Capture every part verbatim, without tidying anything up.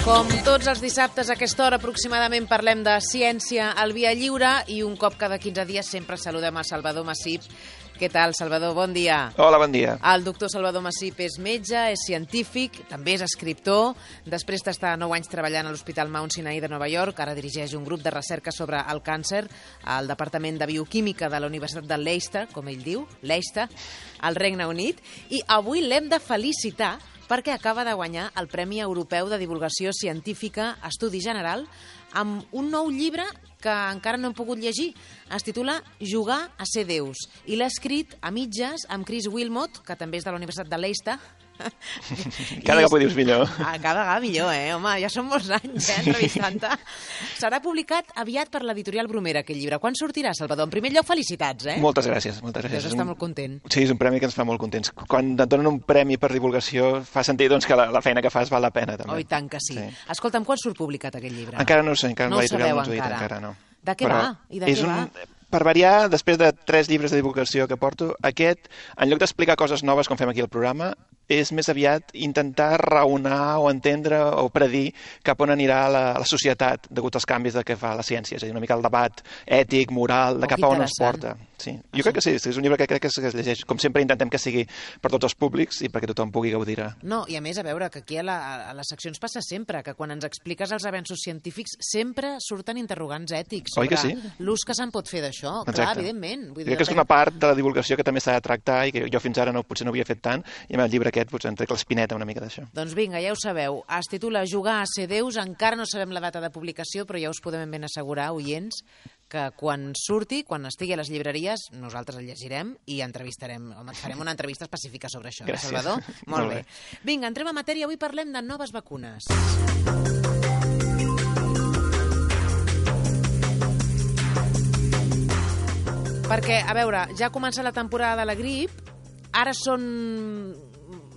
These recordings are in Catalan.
Com tots els dissabtes a aquesta hora aproximadament parlem de ciència al Via Lliure i un cop cada quinze dies sempre saludem a Salvador Massip. Què tal, Salvador? Bon dia. Hola, bon dia. El doctor Salvador Massip és metge, és científic, també és escriptor. Després d'estar nou anys treballant a l'Hospital Mount Sinai de Nova York, ara dirigeix un grup de recerca sobre el càncer al Departament de Bioquímica de la Universitat de Leicester, com ell diu, Leicester, al Regne Unit. I avui l'hem de felicitar perquè acaba de guanyar el Premi Europeu de Divulgació Científica Estudi General amb un nou llibre que encara no hem pogut llegir. Es titula Jugar a ser Déus i l'ha escrit a mitges amb Chris Wilmot, que també és de la Universitat de Leicester. Cada cop ho dius millor. Ah, cada vegada millor, eh? Home, ja són molts anys, eh, entrevistant-te. Serà publicat aviat per l'editorial Bromera, aquest llibre. Quan sortirà, Salvador? En primer lloc, felicitats, eh? Moltes gràcies, moltes gràcies. Deus estar molt content. Sí, és un premi que ens fa molt contents. Quan et donen un premi per divulgació, fa sentir doncs, que la, la feina que fas val la pena, també. Oh, i tant que sí. sí. Escolta'm, quan surt publicat aquest llibre? Encara no ho sé, encara no l'editorial no ho ens ho ha dit, encara. encara no. De què Però va? I de què un... va? Per variar, després de tres llibres de divulgació que porto, aquest, en lloc d'explicar coses noves com fem aquí al programa, és més aviat intentar raonar o entendre o predir cap on anirà la, la societat degut als canvis de què fa la ciència. És a dir, una mica el debat ètic, moral, de Oh, cap a on ens porta. Sí. Jo crec que sí, és un llibre que crec que es llegeix. Com sempre intentem que sigui per tots els públics i perquè tothom pugui gaudir. No, i a més, a veure, que aquí a, la, a les seccions passa sempre, que quan ens expliques els avenços científics sempre surten interrogants ètics Oi que sobre sí? l'ús que se'n pot fer d'això. Clar, evidentment. Vull dir, crec que és una part de la divulgació que també s'ha de tractar i que jo fins ara no, potser no havia fet tant, i amb el llibre aquest potser em trec l'espineta una mica d'això. Doncs vinga, ja ho sabeu. Es titula Jugar a ser Déus. Encara no sabem la data de publicació, però ja us podem ben assegurar, oients, que quan surti, quan estigui a les llibreries, nosaltres el llegirem i entrevistarem, home, farem una entrevista específica sobre això. Gràcies. Salvador? Molt, Molt bé. bé. Vinga, entrem a matèria. Avui parlem de noves vacunes. Perquè, a veure, ja comença la temporada de la grip, ara són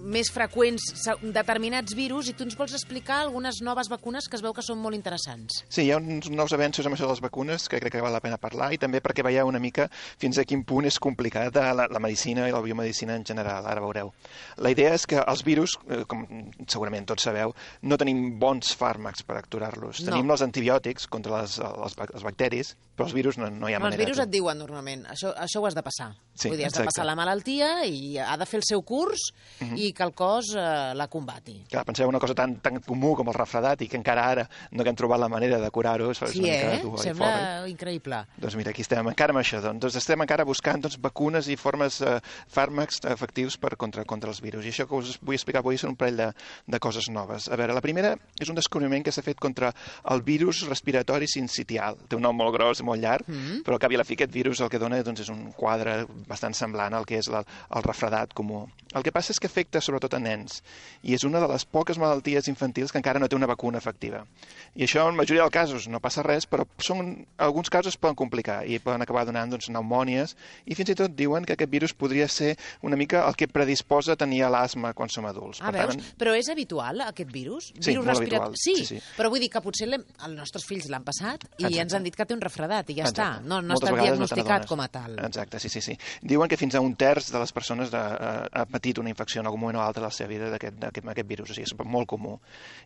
més freqüents determinats virus i tu ens vols explicar algunes noves vacunes que es veu que són molt interessants. Sí, hi ha uns nous avenços amb això de les vacunes que crec que val la pena parlar i també perquè veieu una mica fins a quin punt és complicada la, la medicina i la biomedicina en general, ara veureu. La idea és que els virus, com segurament tots sabeu, no tenim bons fàrmacs per aturar-los. No. Tenim els antibiòtics contra les, les, els bacteris, però els virus no, no hi ha Però manera. Els virus et diuen normalment, això, això ho has de passar. Sí, Vull dir, has exacte. de passar la malaltia i ha de fer el seu curs Uh-huh. i que el cos eh, la combati. Clar, penseu una cosa tan, tan comú com el refredat i que encara ara no hem trobat la manera de curar-ho. Sí, eh? Sembla increïble. Doncs mira, aquí estem encara amb això. Doncs estem encara buscant doncs, vacunes i formes, eh, fàrmacs efectius per contra, contra els virus. I això que us vull explicar avui són un parell de, de coses noves. A veure, la primera és un descobriment que s'ha fet contra el virus respiratori sincitial. Té un nom molt gros, molt llarg, mm-hmm. però al cap i a la fi aquest virus el que dona doncs, és un quadre bastant semblant al que és la, el refredat comú. El que passa és que afecta sobretot a nens i és una de les poques malalties infantils que encara no té una vacuna efectiva. I això en majoria dels casos no passa res, però són, alguns casos es poden complicar i poden acabar donant doncs, pneumònies i fins i tot diuen que aquest virus podria ser una mica el que predisposa a tenir l'asma quan som adults. Ah, per veus? tant, Però és habitual, aquest virus? Sí, virus molt respirat... habitual. Sí, Sí, sí. però vull dir que potser els nostres fills l'han passat i Exacte. ens han dit que té un refredat i ja Exacte. està. No, no Moltes està vegades no te diagnosticat n'adones. com a tal. Exacte, sí, sí, sí. Diuen que fins a un terç de les persones de, uh, ha patit una infecció en algun moment o altre de la seva vida d'aquest aquest virus, o sigui, és molt comú.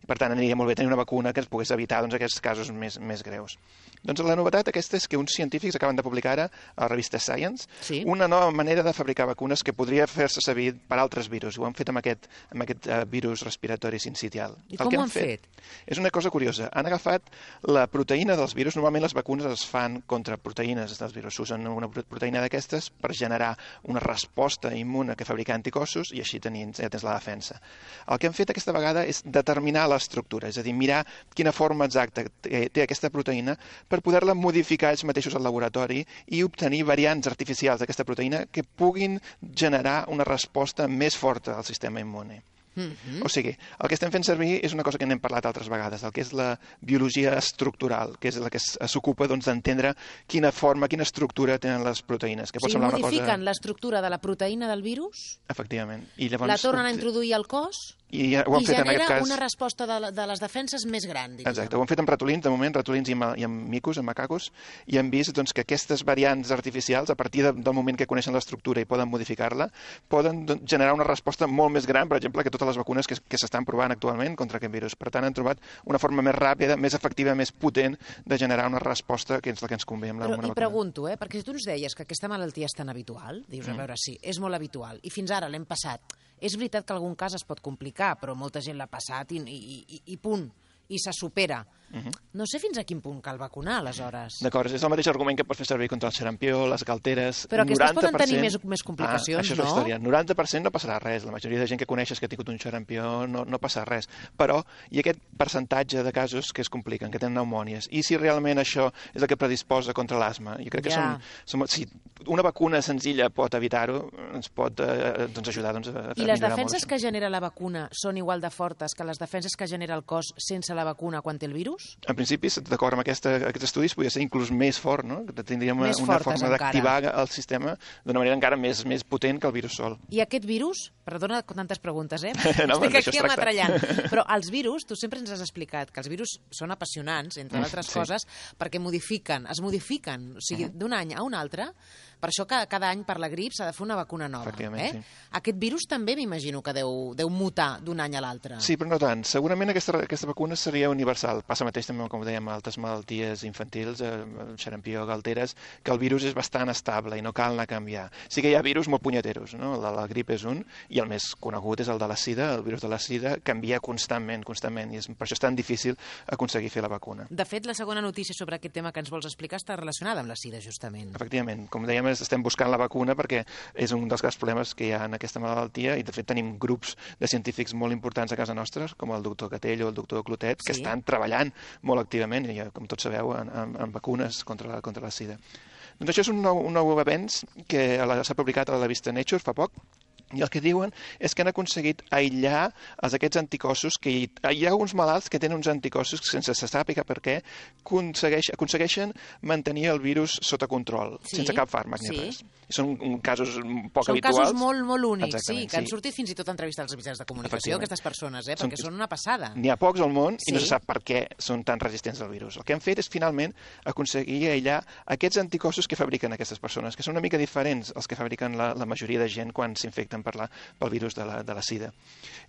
I per tant aniria molt bé tenir una vacuna que ens pogués evitar doncs, aquests casos més, més greus. Doncs la novetat aquesta és que uns científics acaben de publicar ara a la revista Science Sí. una nova manera de fabricar vacunes que podria fer-se servir per altres virus. Ho han fet amb aquest, amb aquest uh, virus respiratori sincitial. I El com que ho han han fet? És una cosa curiosa. Han agafat la proteïna dels virus. Normalment les vacunes es fan contra proteïnes dels virus. S'usen una proteïna d'aquestes per generar una resposta immune que fabrica anticossos i així tenir, ja tens la defensa. El que han fet aquesta vegada és determinar l'estructura, és a dir, mirar quina forma exacta té aquesta proteïna per poder-la modificar ells mateixos al laboratori i obtenir variants artificials d'aquesta proteïna que puguin generar una resposta més forta al sistema immune. Mm-hmm. O sigui, el que estem fent servir és una cosa que n'hem parlat altres vegades, el que és la biologia estructural, que és la que s'ocupa doncs, d'entendre quina forma, quina estructura tenen les proteïnes. Que O pot sigui, semblar una modifiquen cosa... l'estructura de la proteïna del virus, Efectivament. I llavors... la tornen a introduir al cos I ho han I fet en aquest genera cas... una resposta de, de les defenses més gran, diríem. Exacte, ho han fet amb ratolins, de moment, ratolins i amb, i amb micos, amb macacos, i han vist doncs, que aquestes variants artificials, a partir de, del moment que coneixen l'estructura i poden modificar-la, poden doncs, generar una resposta molt més gran, per exemple, que totes les vacunes que, que s'estan provant actualment contra aquest virus. Per tant, han trobat una forma més ràpida, més efectiva, més potent de generar una resposta que és la que ens convé amb la, Però, una i vacuna. pregunto, eh, perquè si tu ens deies que aquesta malaltia és tan habitual, dius, a veure, sí, és molt habitual, i fins ara l'hem passat. És veritat que algun cas es pot complicar, però molta gent l'ha passat i, i, i, i punt, i se supera. Uh -huh. No sé fins a quin punt cal vacunar, aleshores. D'acord, és el mateix argument que pots fer servir contra el xarampió, les galteres... Però aquestes poden tenir més, més complicacions, ah, això és no? la història. noranta per cent no passarà res. La majoria de gent que coneixes que ha tingut un xarampió no, no passa res. Però hi ha aquest percentatge de casos que es compliquen, que tenen pneumònies. I si realment això és el que predisposa contra l'asma? Jo crec que Ja. som, som, si una vacuna senzilla pot evitar-ho, ens pot eh, doncs ajudar doncs, a, a I les millorar defenses molt que genera la vacuna són igual de fortes que les defenses que genera el cos sense la vacuna quan té el virus? En principi, d'acord amb aquesta, aquests estudis, podria ser inclús més fort, no? Que tindríem Més una fortes, forma encara. d'activar el sistema d'una manera encara més, més potent que el virus sol. I aquest virus, perdona tantes preguntes, eh? No, Estic d'això aquí es tracta. ametrallant. Però els virus, tu sempre ens has explicat que els virus són apassionants, entre altres sí. coses, perquè modifiquen, es modifiquen, o sigui, d'un any a un altre. Per això cada, cada any per la grip s'ha de fer una vacuna nova. Efectivament, eh? sí. Aquest virus també m'imagino que deu, deu mutar d'un any a l'altre. Sí, però no tant. Segurament aquesta, aquesta vacuna seria universal. Passa mateix també, com dèiem, altres malalties infantils, eh, xarampió, galteres, que el virus és bastant estable i no cal anar a canviar. Sí que hi ha virus molt punyeteros, no? El de la grip és un, i el més conegut és el de la sida. El virus de la sida canvia constantment, constantment, i és, per això és tan difícil aconseguir fer la vacuna. De fet, la segona notícia sobre aquest tema que ens vols explicar està relacionada amb la sida, justament. Efectivament, com dèiem, estem buscant la vacuna perquè és un dels grans problemes que hi ha en aquesta malaltia, i de fet tenim grups de científics molt importants a casa nostra, com el doctor Catell o el doctor Clotet, que Sí. estan treballant molt activament, i, com tots sabeu, en, en, en vacunes contra la, contra la sida. Doncs això és un nou, un nou avenç que s'ha publicat a la revista Nature fa poc, i el que diuen és que han aconseguit aïllar els, aquests anticossos, que hi, hi ha alguns malalts que tenen uns anticossos que, sense se sàpiga per què, aconsegueix, aconsegueixen mantenir el virus sota control, Sí, sense cap fàrmac ni sí. res. I són un, casos poc Són habituals. casos molt, molt únics, Exactament, sí, que han sí. sortit fins i tot a entrevistar als mitjans de comunicació, Efectivament. aquestes persones, eh, Són- perquè són una passada. N'hi ha pocs al món i no Sí. se sap per què són tan resistents al virus. El que han fet és, finalment, aconseguir aïllar aquests anticossos que fabriquen aquestes persones, que són una mica diferents als que fabriquen la, la majoria de gent quan s'infecten per la, pel virus de la, de la sida.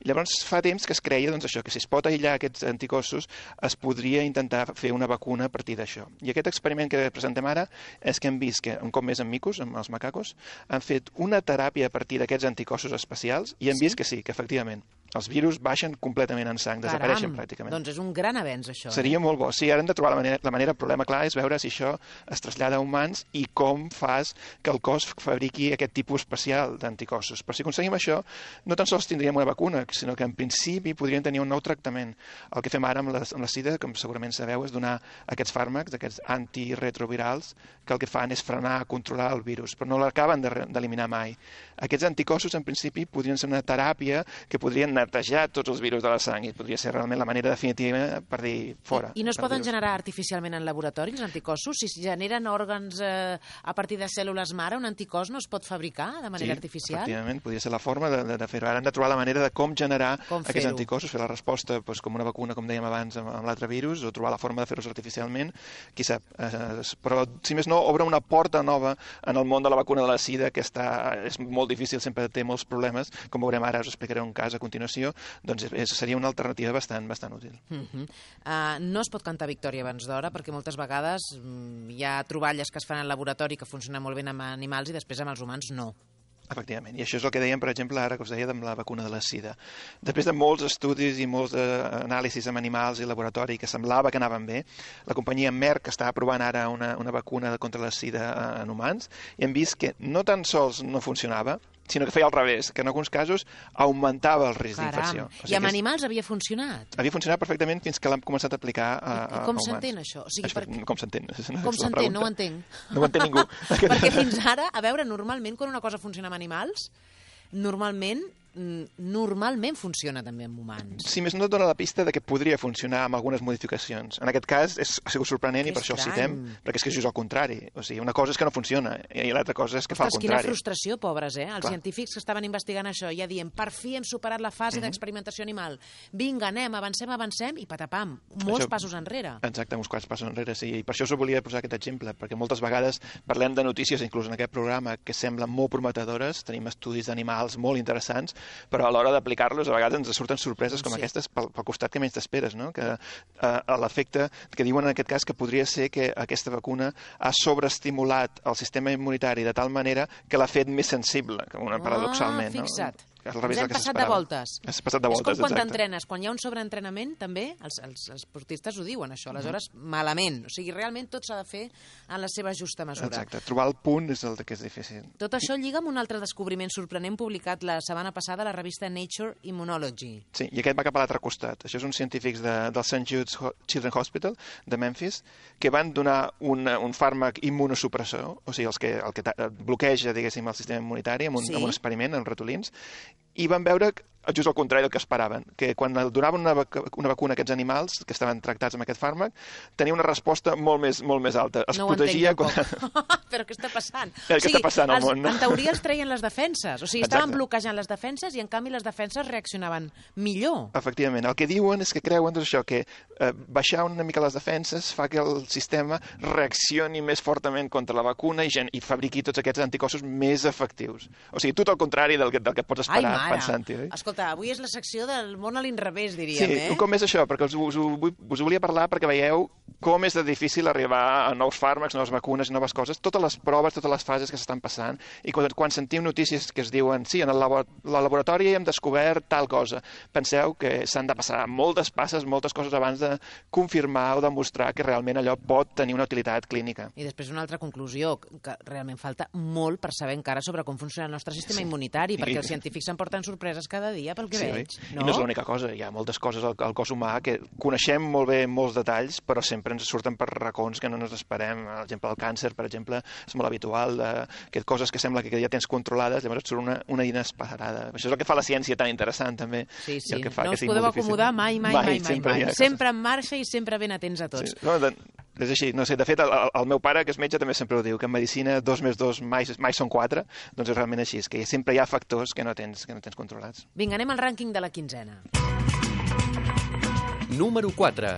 I llavors fa temps que es creia doncs, això, que si es pot aïllar aquests anticossos es podria intentar fer una vacuna a partir d'això. I aquest experiment que presentem ara és que hem vist que, un cop més amb micos, amb els macacos, han fet una teràpia a partir d'aquests anticossos especials i hem Sí? vist que sí, que efectivament els virus baixen completament en sang, desapareixen Caram, pràcticament. Doncs és un gran avenç, això. Seria eh? molt bo. Sí, ara hem de trobar la manera, la manera. El problema, clar, és veure si això es trasllada a humans i com fas que el cos fabriqui aquest tipus especial d'anticossos. Però si aconseguim això, no tan sols tindríem una vacuna, sinó que en principi podríem tenir un nou tractament. El que fem ara amb la, amb la sida, com segurament sabeu, és donar aquests fàrmacs, aquests antiretrovirals, que el que fan és frenar, controlar el virus, però no l'acaben de- d'eliminar mai. Aquests anticossos, en principi, podrien ser una teràpia que podrien netejar tots els virus de la sang i podria ser realment la manera definitiva per dir fora. I no es el poden virus. generar artificialment en laboratori, els anticossos? Si es generen òrgans eh, a partir de cèl·lules mare, un anticòs no es pot fabricar de manera sí, artificial? efectivament, podria ser la forma de, de, de fer-ho. Ara hem de trobar la manera de com generar Com aquests fer-ho. anticossos, fer la resposta doncs, com una vacuna, com dèiem abans, amb, amb l'altre virus, o trobar la forma de fer-los artificialment, qui sap. Eh, però, si més no, obre una porta nova en el món de la vacuna de la sida, que està, és molt difícil, sempre té molts problemes, com veurem ara, us explicaré un cas a continuació, doncs és, seria una alternativa bastant, bastant útil. Uh -huh. uh, no es pot cantar victòria abans d'hora, perquè moltes vegades mm, hi ha troballes que es fan al laboratori que funcionen molt bé amb animals i després amb els humans no. Efectivament, i això és el que dèiem, per exemple, ara que us deia amb la vacuna de la sida. Després de molts estudis i molts eh, anàlisis amb animals i laboratori que semblava que anaven bé, la companyia Merck està provant ara una, una vacuna contra la sida en humans i hem vist que no tan sols no funcionava, sinó que feia al revés, que en alguns casos augmentava el risc d'infecció. Caram, i amb animals havia funcionat? Havia funcionat perfectament fins que l'han començat a aplicar a, a, I com a humans. s'entén això? O sigui, això per... Com s'entén? Com s'entén? No ho entenc. No ho entén ningú. Perquè fins ara, a veure, normalment quan una cosa funciona amb animals, normalment normalment funciona també amb humans. Si més no et dona la pista de que podria funcionar amb algunes modificacions. En aquest cas és, ha sigut sorprenent que i per estrany. Això ho citem, perquè és que és just al contrari. O sigui, una cosa és que no funciona i l'altra cosa és que Ostres, fa el contrari. Quina frustració, pobres, eh? Els Clar. científics que estaven investigant això ja dient, per fi hem superat la fase uh -huh. d'experimentació animal. Vinga, anem, avancem, avancem, i patapam, molts això, passos enrere. Exacte, uns quants passos enrere, sí. I per això us volia posar aquest exemple, perquè moltes vegades parlem de notícies, inclús en aquest programa, que semblen molt prometedores, tenim estudis d'animals molt interessants, però a l'hora d'aplicar-los a vegades ens surten sorpreses com sí. aquestes pel, pel costat que menys t'esperes, no? Que eh, l'efecte que diuen en aquest cas que podria ser que aquesta vacuna ha sobreestimulat el sistema immunitari de tal manera que l'ha fet més sensible, una paradoxalment. Ah, fixa't. No? Ens hem passat de voltes. Has passat de voltes, és com quan exacte. t'entrenes, quan hi ha un sobreentrenament, també, els, els, els esportistes ho diuen, això, aleshores, uh -huh. malament. O sigui, realment tot s'ha de fer en la seva justa mesura. Exacte, trobar el punt és el que és difícil. Tot això lliga amb un altre descobriment sorprenent publicat la setmana passada a la revista Nature Immunology. Sí, i aquest va cap a l'altre costat. Això són científics de, del Saint Jude's Children's Hospital de Memphis que van donar un, un fàrmac immunosupressor, o sigui, els que, el que bloqueja, diguéssim, el sistema immunitari amb un, sí. amb un experiment en ratolins, i van veure just al contrari del que esperaven, que quan donaven una, vac una vacuna a aquests animals que estaven tractats amb aquest fàrmac, tenia una resposta molt més, molt més alta. Es no protegia... Quan... Però què està passant? Què o sigui, està passant al món, no? En teoria els treien les defenses, o sigui, estaven Exacte. bloquejant les defenses i en canvi les defenses reaccionaven millor. Efectivament, el que diuen és que creuen doncs, això, que eh, baixar una mica les defenses fa que el sistema reaccioni més fortament contra la vacuna i, i fabriqui tots aquests anticossos més efectius. O sigui, tot el contrari del que, del que pots esperar pensant-hi. Eh? Escolta, avui és la secció del món a l'inrevés, diríem, sí, eh? Sí, com és això? Perquè us, us, us, us volia parlar perquè veieu com és de difícil arribar a nous fàrmacs, noves vacunes, noves coses, totes les proves, totes les fases que s'estan passant, i quan, quan sentim notícies que es diuen sí, en el labo la laboratori hem descobert tal cosa, penseu que s'han de passar moltes passes, moltes coses abans de confirmar o demostrar que realment allò pot tenir una utilitat clínica. I després una altra conclusió, que realment falta molt per saber encara sobre com funciona el nostre sistema sí. immunitari, perquè I... els científics s'emporten sorpreses cada dia pel que sí, veig. No? I no és l'única cosa, hi ha moltes coses al, al cos humà que coneixem molt bé molts detalls, però sempre ens surten per racons que no ens esperem. Per exemple, el càncer, per exemple, és molt habitual, eh, que coses que sembla que ja tens controlades, llavors et surt una, una inesperada. Això és el que fa la ciència tan interessant, també. Sí, sí. I el que fa no que us podeu acomodar mai, mai, mai, mai. Sempre, mai, mai. Sempre en marxa i sempre ben atents a tots. Sí. No, de, és així, no sé, de fet, el, el meu pare, que és metge, també sempre ho diu, que en medicina dos més dos mai, mai són quatre, doncs és realment així, és que sempre hi ha factors que no tens, que no tens controlats. Vinga, anem al rànquing de la quinzena. Número quatre.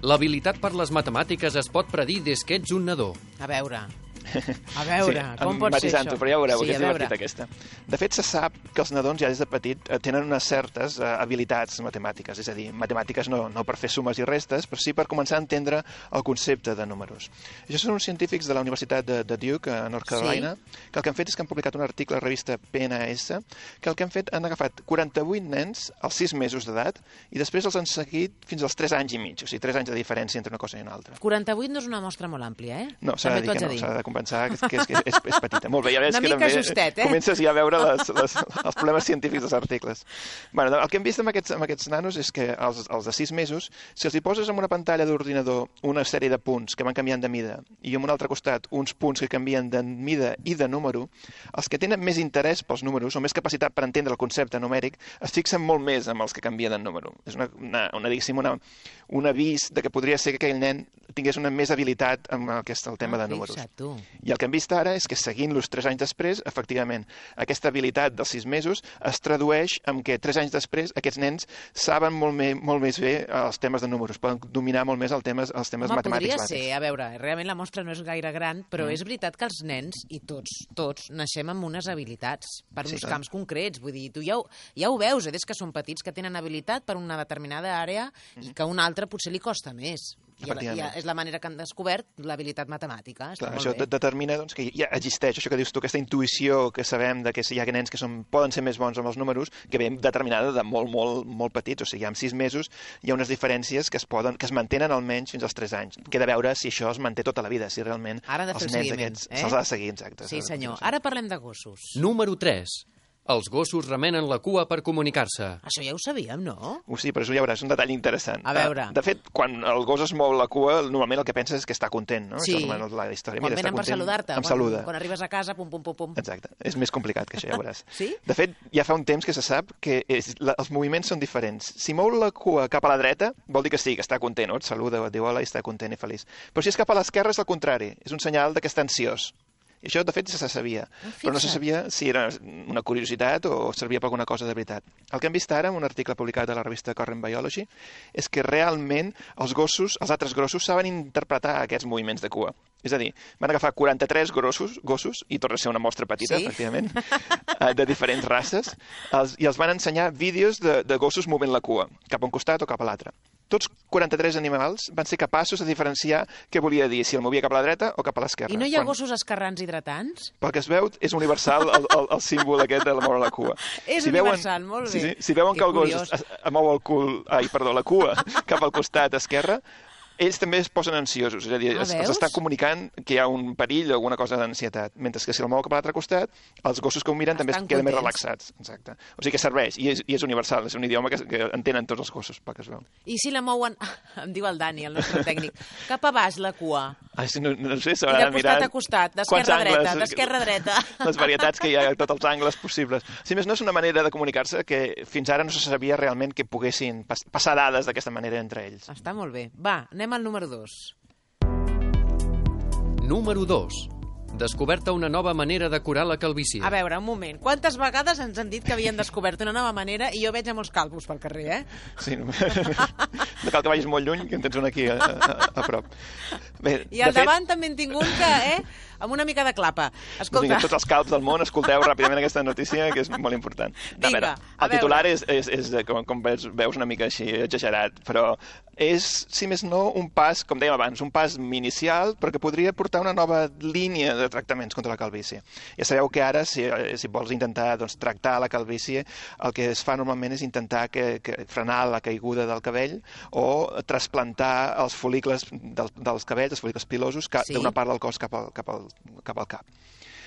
L'habilitat per les matemàtiques es pot predir des que ets un nadó. A veure... A veure, sí, com pot ser això? Però ja ho veureu, sí, que és divertit aquesta. De fet, se sap que els nadons ja des de petit tenen unes certes uh, habilitats matemàtiques, és a dir, matemàtiques no, no per fer sumes i restes, però sí per començar a entendre el concepte de números. Això són uns científics de la Universitat de, de Duke, a North Carolina, sí. que el que han fet és que han publicat un article a la revista P N A S, que el que han fet han agafat quaranta-vuit nens als sis mesos d'edat i després els han seguit fins als tres anys i mig, o sigui, tres anys de diferència entre una cosa i una altra. quaranta-vuit no és una mostra molt àmplia, eh? No, s'ha de dir que no, s'ha de compensar que, que, és, que és, és petita. Molt bé, ja veus una que també justet, eh? comences ja a veure les, les, els problemes científics dels articles. Bueno, el que hem vist amb aquests, amb aquests nanos és que els, els de sis mesos, si els hi poses en una pantalla d'ordinador una sèrie de punts que van canviant de mida i en un altre costat uns punts que canvien de mida i de número, els que tenen més interès pels números o més capacitat per entendre el concepte numèric es fixen molt més amb els que canvien de número. És una, una, una, diguéssim, una, un avís de que podria ser que aquell nen tingués una més habilitat amb aquest, el tema ah, de números. Tu. I el que hem vist ara és que seguint-los tres anys després, efectivament, aquesta habilitat dels sis mesos es tradueix en que tres anys després aquests nens saben molt, me, molt més bé els temes de números, poden dominar molt més el temes, els temes Home, matemàtics. Podria ser, a veure, realment la mostra no és gaire gran, però mm. és veritat que els nens, i tots, tots, naixem amb unes habilitats per uns sí, camps concrets. Vull dir, tu ja ho, ja ho veus, eh, des que són petits, que tenen habilitat per una determinada àrea mm. i que a una altra potser li costa més. I, I és la manera que han descobert l'habilitat matemàtica. Està Clar, molt això bé. determina doncs, que ja existeix això que dius tu, aquesta intuïció que sabem de que hi ha nens que són, poden ser més bons amb els números, que ve determinada de molt, molt, molt petits. O sigui, amb sis mesos hi ha unes diferències que es, poden, que es mantenen almenys fins als tres anys. Queda a veure si això es manté tota la vida, si realment Ara de els fer nens seguiment, aquests eh? se'ls ha de seguir. Exacte, sí, senyor. Ara parlem de gossos. Número tres. Els gossos remenen la cua per comunicar-se. Això ja ho sabíem, no? Uh, sí, però això ja veuràs, un detall interessant. A veure. De fet, quan el gos es mou la cua, normalment el que penses és que està content, no? Sí. Això és la història. Quan Mira, venen per saludar-te. Em quan, saluda. Quan arribes a casa, pum, pum, pum, pum. Exacte. És més complicat que això, ja veuràs. Sí? De fet, ja fa un temps que se sap que és, la, els moviments són diferents. Si mou la cua cap a la dreta, vol dir que sí, que està content, no? Et saluda, et diu hola i està content i feliç. Però si és cap a l'esquerra és el contrari. És un senyal de que està ansiós. I això, de fet, se sabia. Ah, però no se sabia si era una curiositat o servia per alguna cosa de veritat. El que hem vist ara, en un article publicat a la revista Current Biology, és que realment els gossos, els altres gossos, saben interpretar aquests moviments de cua. És a dir, van agafar quaranta-tres grossos, gossos, i torna a ser una mostra petita, sí? efectivament, de diferents races, els, i els van ensenyar vídeos de, de gossos movent la cua, cap a un costat o cap a l'altre. Tots quaranta-tres animals van ser capaços de diferenciar què volia dir, si el movia cap a la dreta o cap a l'esquerra. I no hi ha Quan... gossos escarrans hidratants? Pel que es veu, és universal el, el, el símbol aquest de moure la cua. És si universal, veuen, molt bé. Si, si, si veuen Que que el gos curiós. es, es mou el cul, ai, perdó, la cua cap al costat esquerre, ells també es posen ansiosos, és a dir, Ah, es, els veus? està comunicant que hi ha un perill o alguna cosa d'ansietat, mentre que si el mou cap a l'altre costat, els gossos que ho miren també es Estan queden més contents. relaxats. Exacte. O sigui que serveix, i és, i és universal, és un idioma que, que entenen tots els gossos, pel que es veu. I si la mouen, em diu el Dani, el nostre tècnic, cap a baix la cua? Ai, sí, no, no sé, I s'haurà de de mirar... costat a costat, quants d'esquerra a dreta, angles, d'esquerra a dreta. Les varietats que hi ha a tots els angles possibles. Si més no, és una manera de comunicar-se que fins ara no se sabia realment que poguessin pas passar dades d'aquesta manera entre ells. Està molt bé. Va, anem al número dos. Número dos. Descoberta una nova manera de curar la calvície. A veure, un moment. Quantes vegades ens han dit que havien descobert una nova manera i jo veig a molts calvos pel carrer, eh? Sí, no, no cal que vagis molt lluny, que en tens un aquí a, a, a prop. Bé, I al de fet, davant també en tinc un que, eh, amb una mica de clapa. doncs Escolta, vinga, tots els calps del món, escolteu ràpidament aquesta notícia, que és molt important. Vinga, a veure, a el titular veure. és, és, és de- com, com veus, veus una mica així exagerat, però és, si més no, un pas, com dèiem abans, un pas inicial, però que podria portar una nova línia de tractaments contra la calvície. Ja sabeu que ara, si, si vols intentar doncs, tractar la calvície, el que es fa normalment és intentar que, que frenar la caiguda del cabell o trasplantar els folicles del, dels cabells, els folicles pilosos, ca, Sí. d'una part del cos cap al, cap al, cap al cap.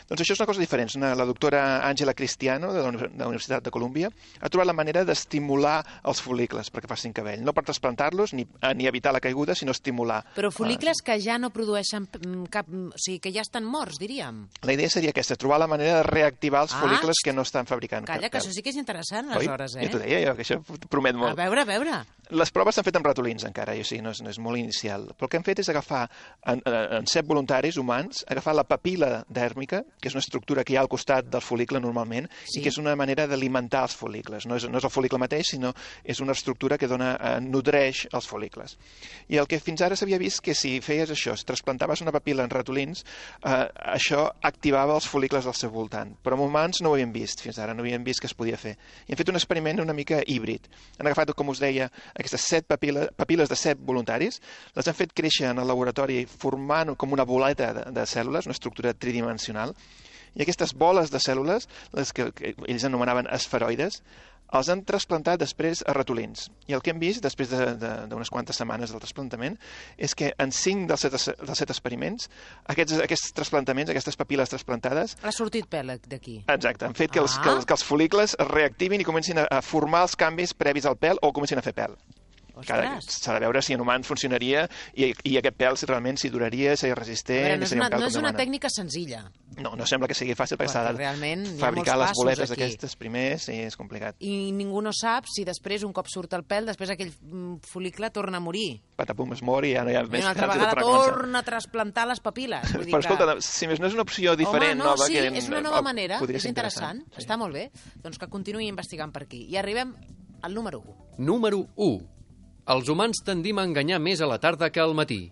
Doncs això és una cosa diferent. Una, la doctora Àngela Cristiano, de la, Uni- de la Universitat de Colúmbia, ha trobat la manera d'estimular els folicles perquè facin cabell. No per trasplantar-los ni, eh, ni evitar la caiguda, sinó estimular. però folicles que ja no produeixen mm, cap... O sigui, que ja estan morts, diríem. La idea seria aquesta, trobar la manera de reactivar els Ah, folicles que no estan fabricant Calla, cap que pèl. això sí que és interessant, Oi? aleshores, eh? Ja t'ho deia jo, que això promet A molt. veure, a veure. Les proves s'han fet amb ratolins encara, i o sigui, no és, no és molt inicial. Però el que hem fet és agafar en, en set voluntaris humans, agafar la papil·la dèrmica, que és una estructura que hi ha al costat del folicle normalment, Sí. i que és una manera d'alimentar els folicles. No és, no és el folicle mateix, sinó és una estructura que dona, eh, nodreix els folicles. I el que fins ara s'havia vist que si feies això, si trasplantaves una papil·la en ratolins, eh, això activava els folicles al seu voltant. Però en humans no ho havíem vist, fins ara no havíem vist que es podia fer. I hem fet un experiment una mica híbrid. Han agafat, com us deia, aquestes set papil·les, papil·les de set voluntaris, les han fet créixer en el laboratori formant com una boleta de, de cèl·lules, una estructura tridimensional, i aquestes boles de cèl·lules, les que, que ells anomenaven esferoides, els han trasplantat després a ratolins. I el que hem vist, després d'unes de, de, quantes setmanes del trasplantament, és que en cinc dels set, dels set experiments, aquests, aquests trasplantaments, aquestes papil·les trasplantades, Ha sortit pèl d'aquí. exacte, han fet que els, Ah. que, els, que els folicles es reactivin i comencin a, a formar els canvis previs al pèl o comencin a fer pèl. Ostres. S'ha de veure si en humans funcionaria i, i aquest pèl si realment s'hi duraria, seria A resistent... veure, no i és seria una, un pèl no com és una demana. tècnica senzilla. No, no sembla que sigui fàcil perquè Perquè s'ha de realment hi ha fabricar molts les passos boletes aquí. aquestes primers i és complicat. I ningú no sap si després, un cop surt el pèl, després aquell mm, folicle torna a morir. Patapum es mor i ja no hi ha I més una altra pèls i vegada torna a començar. torna a trasplantar les papil·les. Vull dir Però que... escolta, si més no és una opció diferent, Home, no, nova... sí, que és una nova eh, manera, podria és ser interessant, sí. està molt bé. Doncs que continuï investigant per aquí. I arribem al número u. Número u. Els humans tendim a enganyar més a la tarda que al matí.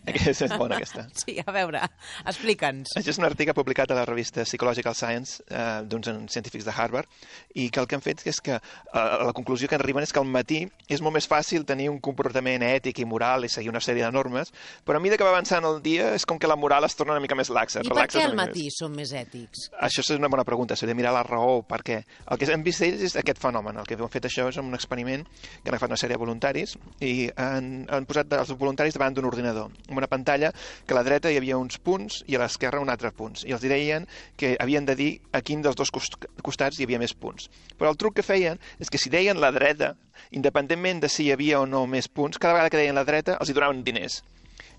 Aquesta és bona, aquesta. Sí, a veure, explica'ns. Això és un article publicat a la revista Psychological Science eh, d'uns científics de Harvard i que el que han fet és que eh, la conclusió que arriben és que al matí és molt més fàcil tenir un comportament ètic i moral i seguir una sèrie de normes, però a mesura que va avançant el dia és com que la moral es torna una mica més laxa. I per què al matí som més ètics? Això és una bona pregunta, s'hauria de mirar la raó, perquè el que hem vist ells és aquest fenomen. El que han fet això és un experiment que han agafat una sèrie de voluntaris i han, han posat els voluntaris davant d'un l'ordinador, amb una pantalla que a la dreta hi havia uns punts i a l'esquerra un altre punts. I els deien que havien de dir a quin dels dos costats hi havia més punts. Però el truc que feien és que si deien la dreta, independentment de si hi havia o no més punts, cada vegada que deien la dreta els hi donaven diners.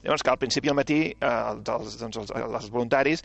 Llavors, que al principi al matí eh, els, doncs, els, els voluntaris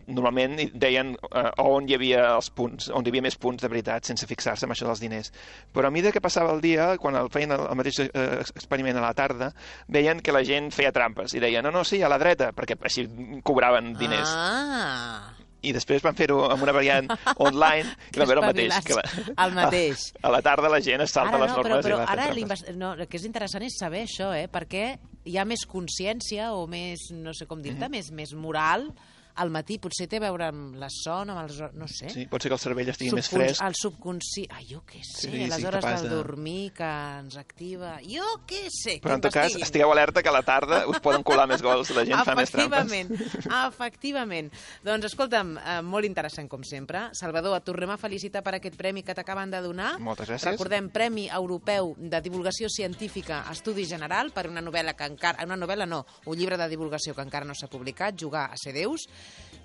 normalment deien eh, on hi havia els punts, on hi havia més punts de veritat, sense fixar-se en això dels diners. Però a mesura que passava el dia, quan el feien el, el mateix eh, experiment a la tarda, veien que la gent feia trampes i deien, no, no, sí, a la dreta, perquè així cobraven diners. Ah! I després van fer-ho amb una variant online i van veure el mateix. Que la, el mateix. A, a la tarda la gent es salta ara les no, normes però, però i va fer ara trampes. no, el que és interessant és saber això, eh? Perquè hi ha més consciència o més, no sé com dir-te, mm-hmm. més, més moral al matí. Potser té a veure amb la son, amb els... no sé. Sí, pot ser que el cervell estigui Subcons... més fresc. El subconscient... Ah, jo què sé, sí, les sí, hores del de... dormir que ens activa... Jo què sé, però en tot cas, estigueu alerta que a la tarda us poden colar més gols, la gent fa més trampes. Efectivament, efectivament. Doncs escolta'm, eh, molt interessant com sempre. Salvador, et tornem a felicitar per aquest premi que t'acaben de donar. Moltes gràcies. Recordem, Premi Europeu de Divulgació Científica Estudi General per una novel·la que encara... Una novel·la no, un llibre de divulgació que encara no s'ha publicat, Jugar a ser Déus,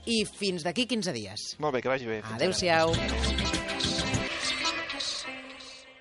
i fins d'aquí quinze dies. Molt bé, que vagi bé. Adéu-siau.